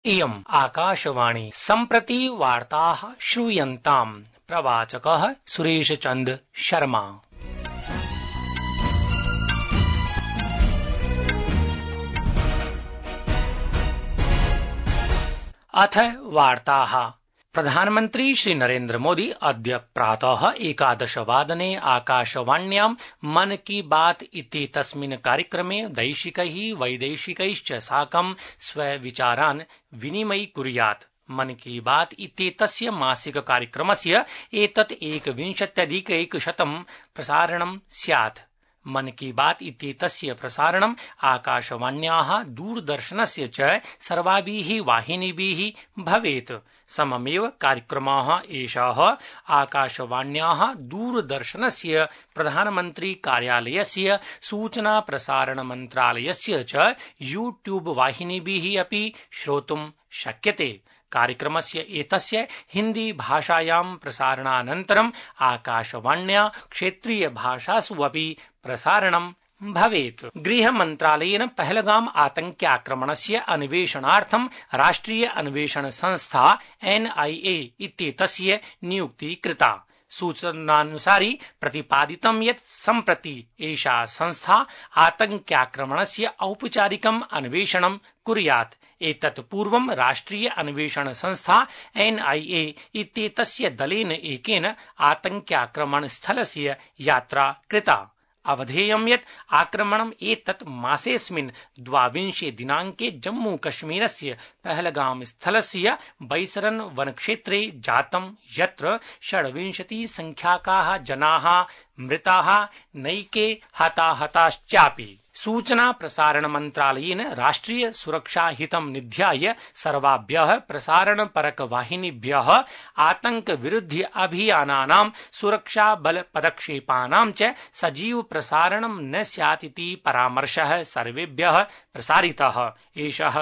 इयम् आकाशवाणी सम्प्रति वार्ताः श्रूयन्ताम्। प्रवाचकः सुरेशचन्द्र शर्मा। अथ वार्ताः। प्रधानमन्त्री श्री नरेन्द्र मोदी अद्य प्रातः 11:00 आकाशवाण्यां मन की बात इत्येतस्मिन् कार्यक्रमे दैशिकैः वैदेशिकैश्च साकं स्वविचारान् विनिमयीकुर्यात्। मन की बात इत्येतस्य मासिक कार्यक्रमस्य एतत् एकविंशत्यधिकैकशतं प्रसारणं स्यात्। मन की बात इत्येतस्य प्रसारणम् आकाशवाण्याः दूरदर्शनस्य च सर्वाभिः वाहिनीभिः भवेत्। सममेव कार्यक्रमः एषः आकाशवाण्याः दूरदर्शनस्य प्रधानमन्त्री कार्यालयस्य सूचना प्रसारण मन्त्रालयस्य च यूट्यूब वाहिनीभिः अपि श्रोतुं शक्यते। कार्यक्रमस्य एतस्य हिन्दी भाषायां प्रसारणानन्तरम् आकाशवाण्या क्षेत्रीय भाषासु अपि प्रसारणं भवेत्। गृहमन्त्रालयेन पहलगाम आतङ्क्याक्रमणस्य अन्वेषणार्थं राष्ट्रिय अन्वेषण संस्था NIA इत्येतस्य नियुक्तिः कृता। सूचनानुसारि प्रतिपादितं यत् सम्प्रति एषा संस्था आतङ्क्याक्रमणस्य औपचारिकम् अन्वेषणं कुर्यात्। एतत् पूर्वं राष्ट्रिय अन्वेषण संस्था NIA इत्येतस्य दलेन एकेन आतङ्क्याक्रमण स्थलस्य यात्रा कृता। अवधेयं यत् आक्रमणम् एतत् मासेऽस्मिन् 22 दिनाङ्के जम्मूकश्मीरस्य पहलगाम स्थलस्य बैसरन वनक्षेत्रे जातं, यत्र 26 संख्याकाः जनाः मृताः, नैके हताहताश्चापि। सूचना प्रसारण मन्त्रालयेन राष्ट्रिय सुरक्षा हितं निध्याय सर्वाभ्यः प्रसारण परक वाहिनीभ्यः आतंक विरुद्ध अभियानानां सुरक्षा बल पदक्षेपानां च सजीव प्रसारणं न स्यात् इति परामर्शः सर्वेभ्यः प्रसारितः। एषः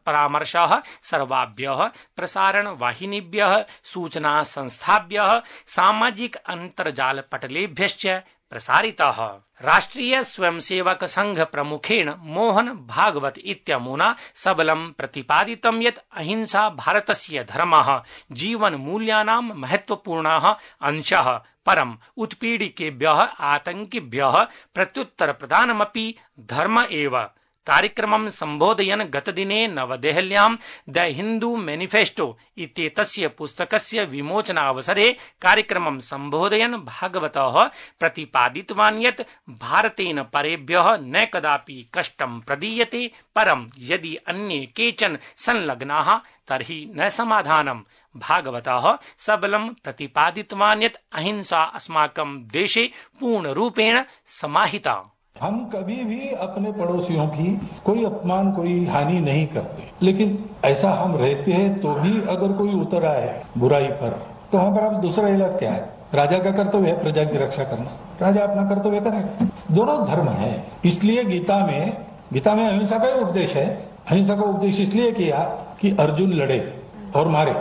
परामर्शः सर्वाभ्यः प्रसारण वाहिनीभ्यः, सूचना संस्थाभ्यः, सामाजिक अन्तर्जाल पटलेभ्यश्च प्रसारितः। राष्ट्रिय स्वयंसेवक संघ प्रमुखेण मोहन भागवत इत्यमुना सबलं प्रतिपादितं यत् अहिंसा भारतस्य धर्मः, जीवन मूल्यानां महत्वपूर्णः अंशः। परम् उत्पीडिकेभ्यः आतंकिभ्यः प्रत्युत्तर प्रदानमपि धर्म एव। कार्यक्रमं सम्बोधयन् गतदिने नवदेहल्यां द हिन्दू मैनिफेस्टो इत्येतस्य पुस्तकस्य विमोचनावसरे कार्यक्रमं सम्बोधयन् भागवतः प्रतिपादितवान् यत् भारतेन परेभ्यः न कदापि कष्टं प्रदीयते, परं यदि अन्ये केचन संलग्नाः तर्हि न समाधानम्। भागवतः सबलं प्रतिपादितवान् यत् अहिंसा अस्माकं देशे पूर्णरूपेण समाहिता। हम कभी भी अपने पड़ोसियों की कोई अपमान, कोई हानि नहीं करते, लेकिन ऐसा हम रहते हैं तो भी अगर कोई उतर आए बुराई पर, तो हमारा दूसरा इलाज क्या है? राजा का कर्तव्य है प्रजा की रक्षा करना, राजा अपना कर्तव्य करे। दोनों धर्म है। इसलिए गीता में अहिंसा का उपदेश है। अहिंसा का उपदेश इसलिए किया कि अर्जुन लड़े और मारे।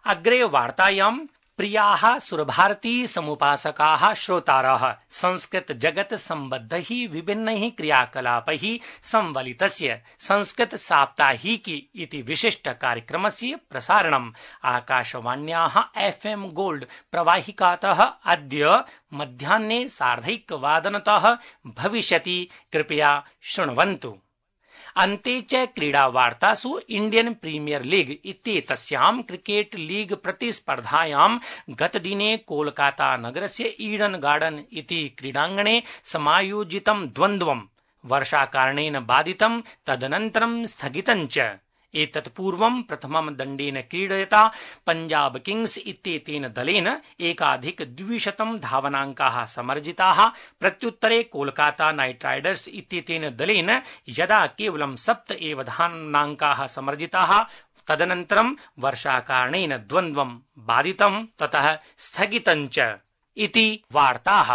अग्रे वार्तायां प्रियाः सुरभारती समुपासकाः श्रोतारः संस्कृत जगत सम्बद्धैः विभिन्नैः क्रियाकलापैः संवलितस्य संस्कृत साप्ताहिकी इति विशिष्ट कार्यक्रमस्य प्रसारणम् आकाशवाण्याः FM गोल्ड प्रवाहिकातः अद्य मध्याह्ने 1:30 भविष्यति। कृपया शृण्वन्तु। अन्ते च क्रीडावार्तासु इण्डियन प्रीमियर लीग इत्येतस्यां क्रिकेट लीग प्रतिस्पर्धायां गतदिने कोलकाता नगरस्य ईडन गार्डन इति क्रीडाङ्गणे समायोजितं द्वन्द्वं वर्षाकारणेन बाधितं, तदनन्तरं स्थगितं च। एतत् पूर्वं प्रथमं दण्डेन क्रीडयता पंजाब किंग्स इत्येतेन दलेन 1,200 धावनाङ्काः समर्जिताः। प्रत्युत्तरे कोलकाता नाइट राइडर्स इत्येतेन दलेन यदा केवलं 7 एव धावनाङ्काः समर्जिताः, तदनन्तरं वर्षाकारणेन द्वन्द्वं बाधितं, ततः स्थगितं च इति वार्ताः।